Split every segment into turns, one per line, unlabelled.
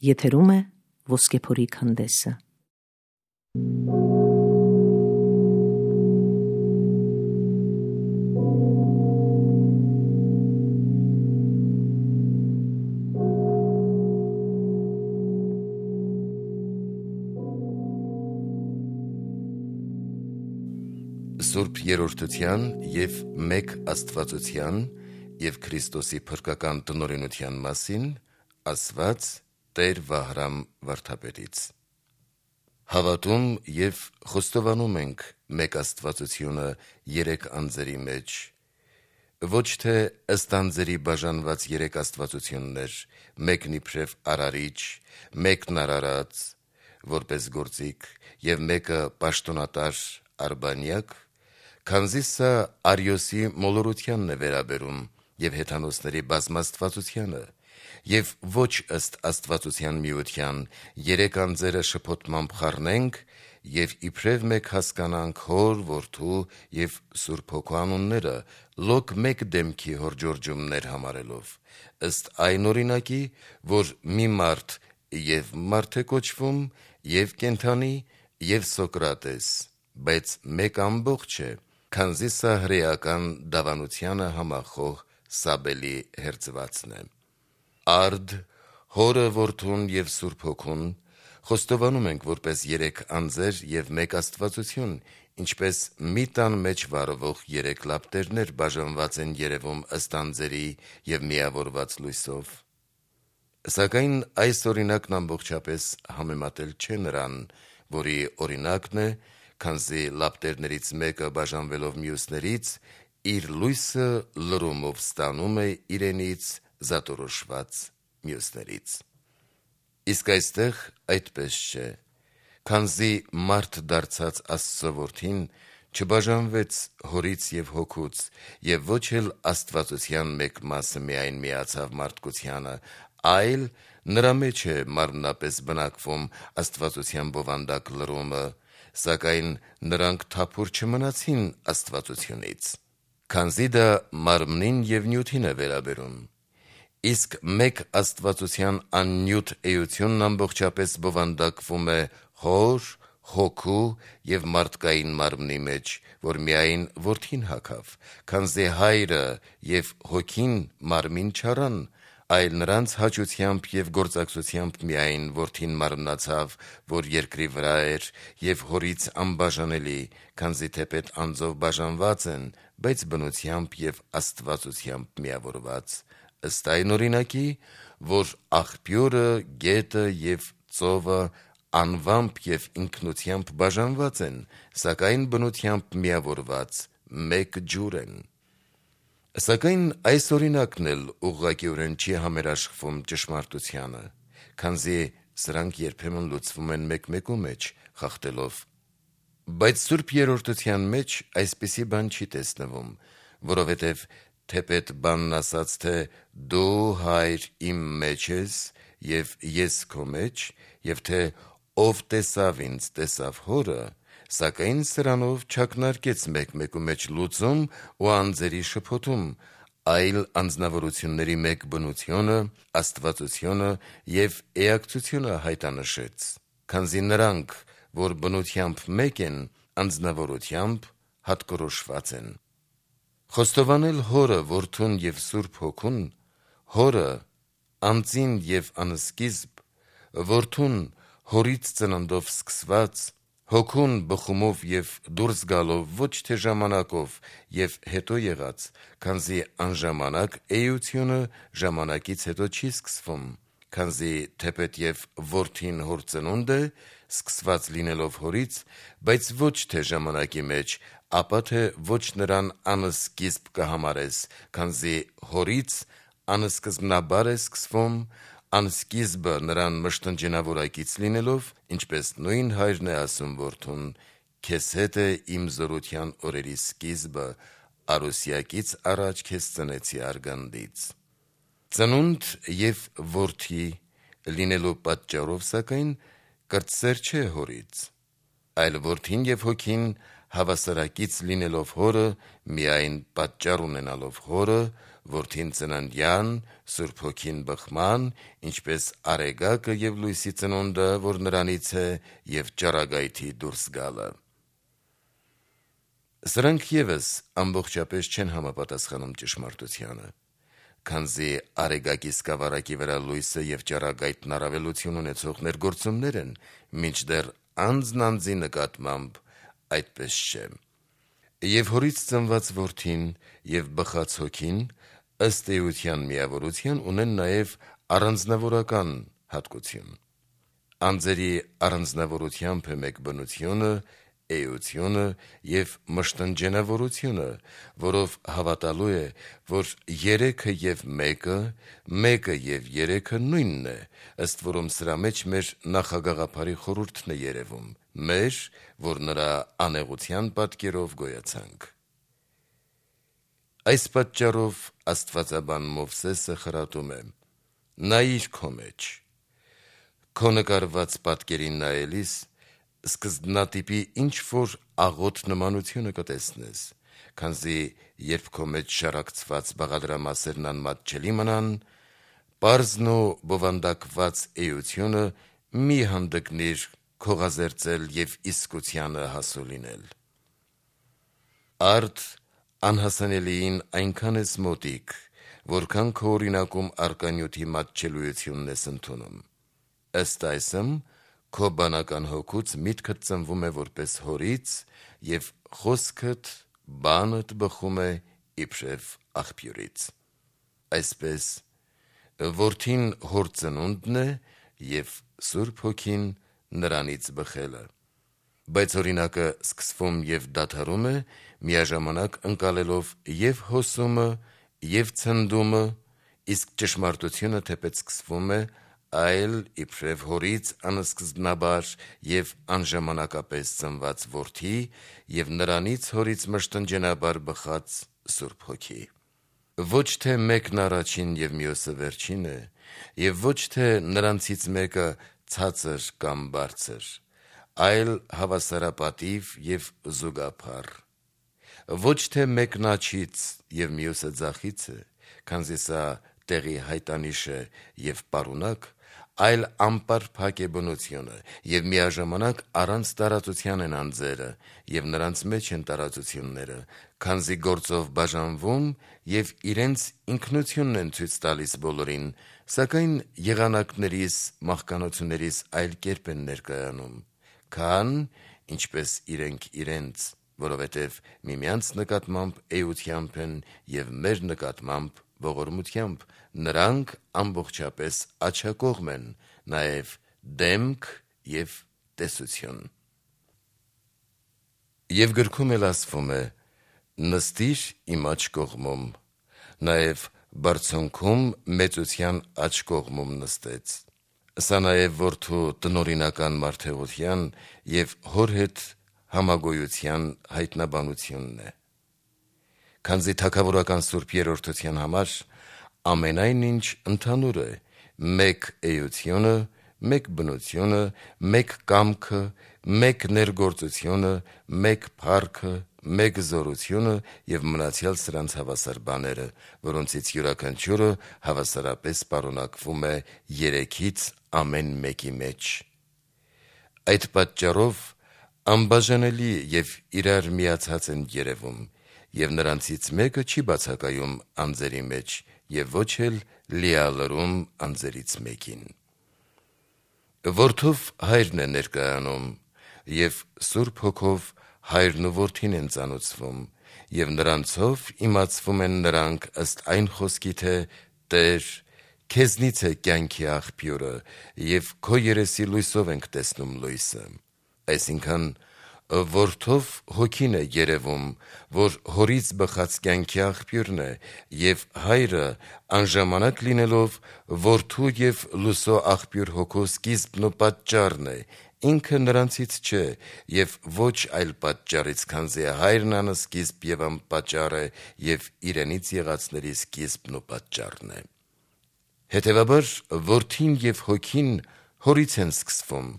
Եթերում է Ոսկեփորի քանդեսը։
Սուրբ Երրորդության և մեկ Աստվածության և Քրիստոսի փրկական տնօրինության մասին ասված Տեր Վահրամ վարդապետից։ Հավատում և խոստովանում ենք մեկ Աստվածությունը երեք անձերի մեջ, ոչ թե ըստ անձերի բաժանված երեք աստվածություններ, մեկն իբրև արարիչ, մեկն արարած, որպես գործիք, և մեկը պաշտոնատար արբանյակ, քանզի սա Արիոսի մոլորությանն է վերաբերում և հեթանոսների բազմաստվածությանը, և ոչ ըստ աստվածության միության երեք անձերը շփոթմամբ խառնենք և իբրև մեկ հասկանանք Հոր, Որդու և Սուրբ Հոգու անունները, լոկ մեկ դեմքի հորդորջումներ համարելով, ըստ այն օրինակի, որ մի մարդ և մարդ է կոչվում, և կենդանի, և Սոկրատես, բայց մեկ ամբողջ է, քանզի սա հրեական դավանությանը համախոհ Սաբելի հերձվածն է։ Արդ, Հորը, Որդուն և Սուրբ Հոգուն խոստովանում ենք որպես երեք անձեր և մեկ աստվածություն, ինչպես մի տան մեջ վառվող երեք լապտերներ բաժանված են երևում ըստ անձերի և միավորված լույսով։ Սակայն այս օրինակն ամբողջապես համեմատել չէ նրան, որի օրինակն է, քանզի լապտերներից մեկը բաժանվելով մյուսներից, իր լույսը լրումով ստանում է իրենից զատորոշված մյուսներից։ Իսկ այստեղ այդպես չէ, քանզի մարդ դարձած Աստծո Որդին չբաժանվեց Հորից և Հոգուց, և ոչ էլ աստվածության մեկ մասը միայն միացավ մարդկությանը, այլ նրա մեջ է մարմնապես բնակվում աստվածության բովանդակ լրումը, սակայն նրանք թափուր չմնացին աստվածությունից, քանզի դա մարմնին և նյութին է վերաբերում։ Իսկ մեկ աստվածության աննյութ էությունն ամբողջապես բովանդակվում է Հոր, Հոգու և մարդկային մարմնի մեջ, որ միայն Որդին հագավ, քանզի Հայրը և Հոգին մարմին չառան, այլ նրանց հաճությամբ և գործակցությամբ միայն Որդին մարմնացավ, որ երկրի վրա էր և Հորից անբաժանելի, քանզի թեպետ անձով բաժանված են, բայց բնությամբ և աստվածությամբ միավորված, ըստ այն օրինակի, որ աղբյուրը, գետը և ծովը անվամբ և ինքնությամբ բաժանված են, սակայն բնությամբ միավորված մեկ ջուր են։ Սակայն այս օրինակն էլ ուղղակիորեն չի համերաշխվում ճշմարտությանը, քանզի սրանք երբեմն լուծվում են մեկ-մեկու մեջ, խախտելով։ Բայց Սուրբ Երրորդության մեջ այսպիսի բան չի տեսնվում, որովհետև թեպետ բանն ասաց, թե «Դու, Հայր, իմ մեջ ես, և ես քո մեջ», և թե «Ով տեսավ ինձ, տեսավ Հորը», սակայն սրանով չակնարկեց մեկ-մեկու մեջ լուծում ու անձերի շփոթում, այլ անձնավորությունների մեկ բնությունը, աստվածությունը և էակցությունը հայտնաբերեց, քանզի նրանք, որ բնությամբ մեկ են, անձնավորությամբ հատկորոշված են։ Խոստովանել Հորը, Որդուն և Սուրբ Հոգուն, Հորը անծին և անսկիզբ, Որդուն Հորից ծննդով սկսված, Հոգուն բխումով և դուրս գալով ոչ թե ժամանակով և հետո եղած, քանզի անժամանակ էությունը ժամանակից հետո չի սկսվում, քանզի թեպետ և Որդին Հոր ծնունդ է, սկսված լինելով Հորից, բայց ոչ թե ժամանակի մեջ, ապա թե ոչ նրան անսկիզբ կհամարես, քանզի Հորից անսկզբնաբար է սկսվում, անսկիզբը նրան մշտնջենավորակից լինելով, ինչպես նույն Հայրն է ասում Որդուն. «Քեզ հետ է իմ զորության օրերի սկիզբը, առուսյակից առաջ քեզ ծնեցի արգանդից»։ Ծնունդ և որդի լինելու պատճառով, սակայն, կրտսեր չէ Հորից, այլ Որդին և Հոգին հավասարակից լինելով Հորը, միայն պատճառ ունենալով Հորը, որդին ծննդյան, Սուրբ Հոգին բխման, ինչպես արեգակը եւ լույսի ծնունդը, որ նրանից է, եւ ճառագայթի դուրս գալը։ Սրանք եւս ամբողջապես չեն համապատասխանում ճշմարտությանը, քանզի արեգակի սկավառակի վրա լույսը եւ ճառագայթն առավելություն ունեցող ներգործումներ են, մինչդեռ անձն անձի նկատմամբ այդպես չէ։ Եվ հորից ծնված որդին եւ բխած հոգին ըստ էության միավորության ունեն նաեւ առանձնավորական հատկություն։ Անձերի առանձնավորությամբ է մեկ բնությունը, էությունը եւ մշտնջենավորությունը, որով հավատալու է, որ երեքը եւ մեկը, մեկը եւ երեքը նույնն է, ըստ որում սրա մեջ մեր նախագաղափարի խորհուրդն է երևում, մեր, որ նրա անեղության պատկերով գոյացանք։ Այս պատճառով աստվածաբան Մովսեսը խրատում է. «Նայիր քո մեջ, քո նկարված պատկերին նայելիս սկզբնատիպի ինչ-որ աղոտ նմանությունը կտեսնես, քանզի երբ քո մեջ շարակցված բաղադրամասերն անմատ չելի մնան, պարզն ու բովանդակված էությունը մի հանդգնիր քողազերծել եւ իսկությանը հասու լինել։ Արդ անհասանելիին այնքան ես մոտիկ, որքան քո օրինակում արկանյութի մատչելույությունն ես ընդունում։ Ըստ այսմ, քո բանական հոգուց միտքդ ծնվում է որպես հորից եւ խոսքդ, բանդ բխում է իբրև աղբյուրից։ Այսպես, որդին հոր ծնունդն է եւ Սուրբ Հոգին նրանից բխելը։ Բայց օրինակը սկսվում եւ դադարում է, միաժամանակ ընկալելով եւ հոսումը, եւ ցնդումը, իսկ ճշմարտությունը թեպետ սկսվում է, այլ իբրև հորից անսկզբնաբար եւ անժամանակապես ծնված որդի եւ նրանից հորից մշտնջենաբար բխած Սուրբ Հոգի։ Ոչ թե մեկն առաջին եւ մյուսը վերջին է, եւ ոչ թե նրանցից մեկը ցածր կամ բարձր, այլ հավասարապատիվ եւ զուգափառ։ Ոչ թե մեկն աջից եւ մյուսը ձախից է, քանզի սա տեղի հայտանիշ է եւ պարունակ, այլ անպարփակ է բնությունը, եւ միաժամանակ առանց տարածության են անձերը, եւ նրանց մեջ են տարածությունները, քանզի գործով բաժանվում եւ իրենց ինքնությունն են ցույց տալիս բոլորին, սակայն եղանակներիս, մահկանացուներիս այլ կերպ են ներկայանում, քան ինչպես իրենք իրենց, որովհետև միմյանց նկատմամբ էությամբ են եւ մեր նկատմամբ ողորմությամբ, նրանք ամբողջապես աջակողմ են, նաեւ դեմք եւ տեսություն։ Եվ գրքում էլ ասվում է. նստիր իմ աջ կողմում, նաեւ բարձունքում մեծության աջ կողմում նստեց։ Սա նաեւ որդու տնօրինական մարդեղության եւ հոր հետ համագոյության հայտնաբանությունն է։ Քանզի թագավորական Սուրբ Երրորդության համար ամենայն ինչ ընդհանուր է, մեկ էությունը, մեկ բնությունը, մեկ կամքը, մեկ ներգործությունը, մեկ փառքը, մեկ զորությունը եւ մնացյալ սրանց հավասար բաները, որոնցից յուրաքանչյուրը հավասարապես պարունակվում է երեքից ամեն մեկի մեջ։ Այդ պատճառով անբաժանելի եւ իրար միացած են երևում, եւ նրանցից մեկը չի բացակայում անձերի մեջ եւ ոչ էլ լիալրում անձերից մեկին։ Որդով հայրն է ներկայանում եւ Սուրբ Հոգով հայրն ու որդին են ծանուցվում եւ նրանցով իմացվում են նրանք ըստ այն խոսքի, թե Տեր, քեզնից է կյանքի աղբյուրը եւ քո երեսի լույսով ենք տեսնում լույսը։ Այսինքն որդով հոգին է երևում, որ հորից բխած կյանքի աղբյուրն է եւ հայրը անժամանակ լինելով որդու եւ լույսո աղբյուր հոգու սկիզբն ու պատճառն է, ինքը նրանցից չէ եւ ոչ այլ պատճառից, քանզի հայրն անսկիզբ եւ անպատճառ է եւ իրենից եղածների սկիզբն ու պատճառն է։ Հետևաբար որդին եւ հոգին հորից են սկսվում,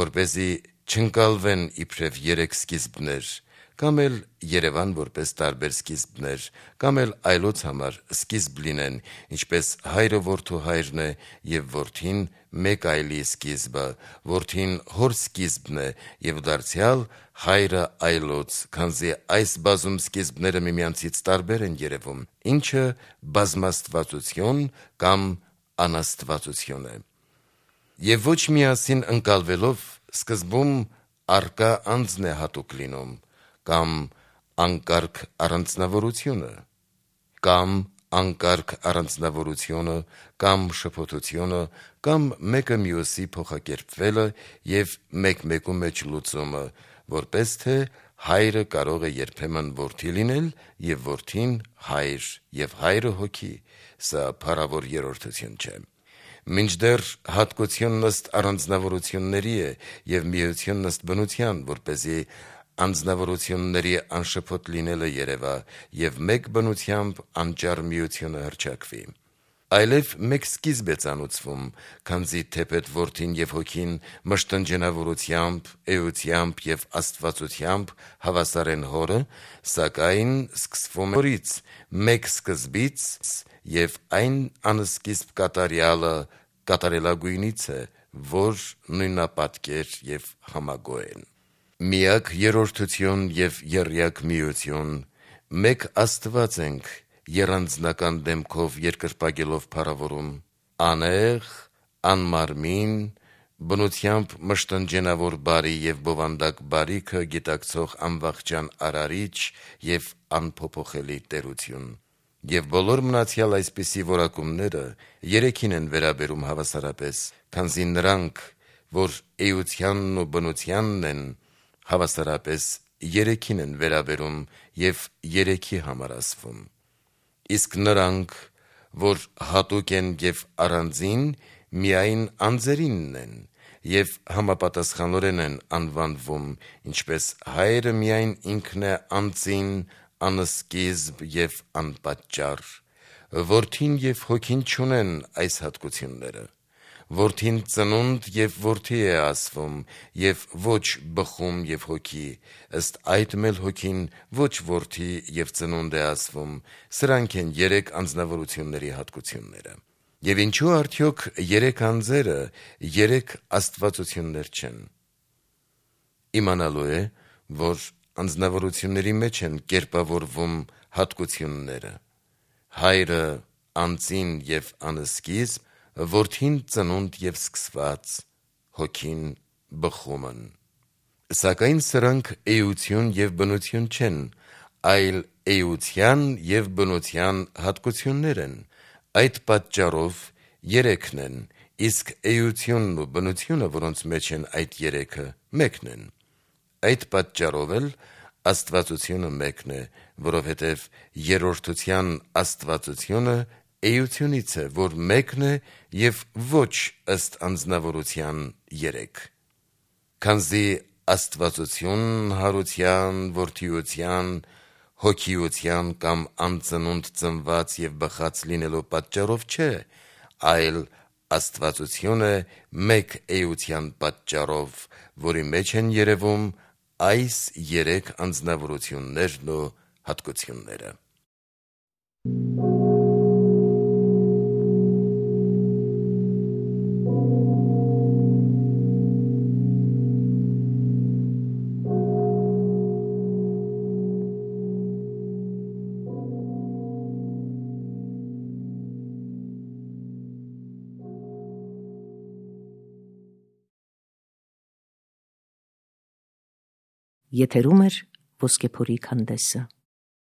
որպեսզի չընկալվեն իբրև երեք սկիզբներ, կամ էլ Երևան որպես տարբեր սկիզբներ, կամ էլ այլոց համար սկիզբ լինեն, ինչպես հայրը որդու հայրն է եւ որդին մեկ այլի սկիզբը, որդին հոր սկիզբն է եւ դարձյալ հայրը այլոց, քանզի այս բազում սկիզբները միմյանցից տարբեր են երևում, ինչը բազմաստվածություն կամ անաստվածություն է։ Եվ ոչ միասին ընկալվելով սկզբում արկա անձն է հատուկ լինում, կամ անկարգ առանձնավորությունը, կամ անկարգ առանձնավորությունը, կամ շփոթությունը, կամ մեկը մյուսի փոխակերպվելը եւ մեկ-մեկու մեջ լուծումը, որպես թե հայրը կարող է երբեմն որդի լինել եւ որդին հայր եւ հայրը հոգի, սա փառավոր երրորդություն չէ։ Մինչդեռ հատկությունն ըստ առանձնավորությունների է եւ միությունն ըստ բնության, որպեսզի անձնավորությունների անշփոթ լինելը երևա եւ մեկ բնությամբ անճար միությունը հռչակվի։ Այլև մեկ սկիզբ է ծանուցվում, քանզի թեպետ որդին եւ հոգին մշտնջենավորությամբ, էությամբ եւ աստվածությամբ հավասար են հորը, սակայն սկսվում է հորից, մեկ սկզբից եւ այն անսկիզբ կատարյալը կատարելագույնից է, որ նույնապատկեր եւ համագոհ են։ Միակ երրորդություն եւ եռյակ միություն, մեկ Աստված ենք եռանձնական դեմքով երկրպագելով փառավորում, անեղ, անմարմին, բնությամբ մշտնջենավոր բարի եւ բովանդակ բարիքը գիտակցող անվախճան արարիչ եւ անփոփոխելի տերություն։ Եվ բոլոր մնացյալ այսպիսի որակումները երեքին են վերաբերում հավասարապես, քանզի նրանք, որ էությանն ու բնությանն են, հավասարապես երեքին են վերաբերում եւ երեքի համար ասվում։ Իսկ նրանք, որ հատուկ են եւ առանձին, միայն անձերինն են եւ համապատասխանորեն են անվանվում, ինչպես հայրը միայն ինքն է անձին, անսկիզբ եւ անպատճառ, որդին եւ հոգին չունեն այս հատկությունները։ Որդին ծնունդ եւ որդի է ասվում եւ ոչ բխում եւ հոգի, ըստ այդմ էլ հոգին ոչ որդի եւ ծնունդ է ասվում, սրանք են երեք անձնավորությունների հատկությունները։ Եվ ինչու արդյոք երեք անձերը երեք աստվածություններ չեն։ Իմանալու է, որ անձնավորությունների մեջ են կերպավորվում հատկությունները։ Հայրը անձին եւ անսկիզբ, որդին ծնունդ եւ սկսված, հոգին բխումն։ Սակայն սրանք էություն եւ բնություն չեն, այլ էության եւ բնության հատկություններ են։ Այդ պատճառով երեքն են, իսկ էությունն ու բնությունը, որոնց մեջ են այդ երեքը, մեկն են։ Այդ պատճառով էլ աստվածությունը մեկն է, որովհետև երրորդության աստվածությունը էությունից է, որ մեկն է եւ ոչ ըստ անձնավորության երեք։ Քանզի աստվածություն հարության, որդիության, հոգիության կամ անծնունդ ծնված եւ բխած լինելու պատճառով չէ, այլ աստվածությունը մեկ էության պատճառով, որի մեջ են երևում այս երեք անձնավորություններն ու հատկությունները։
Եթերում է Ոսկեփորի քանդեսը։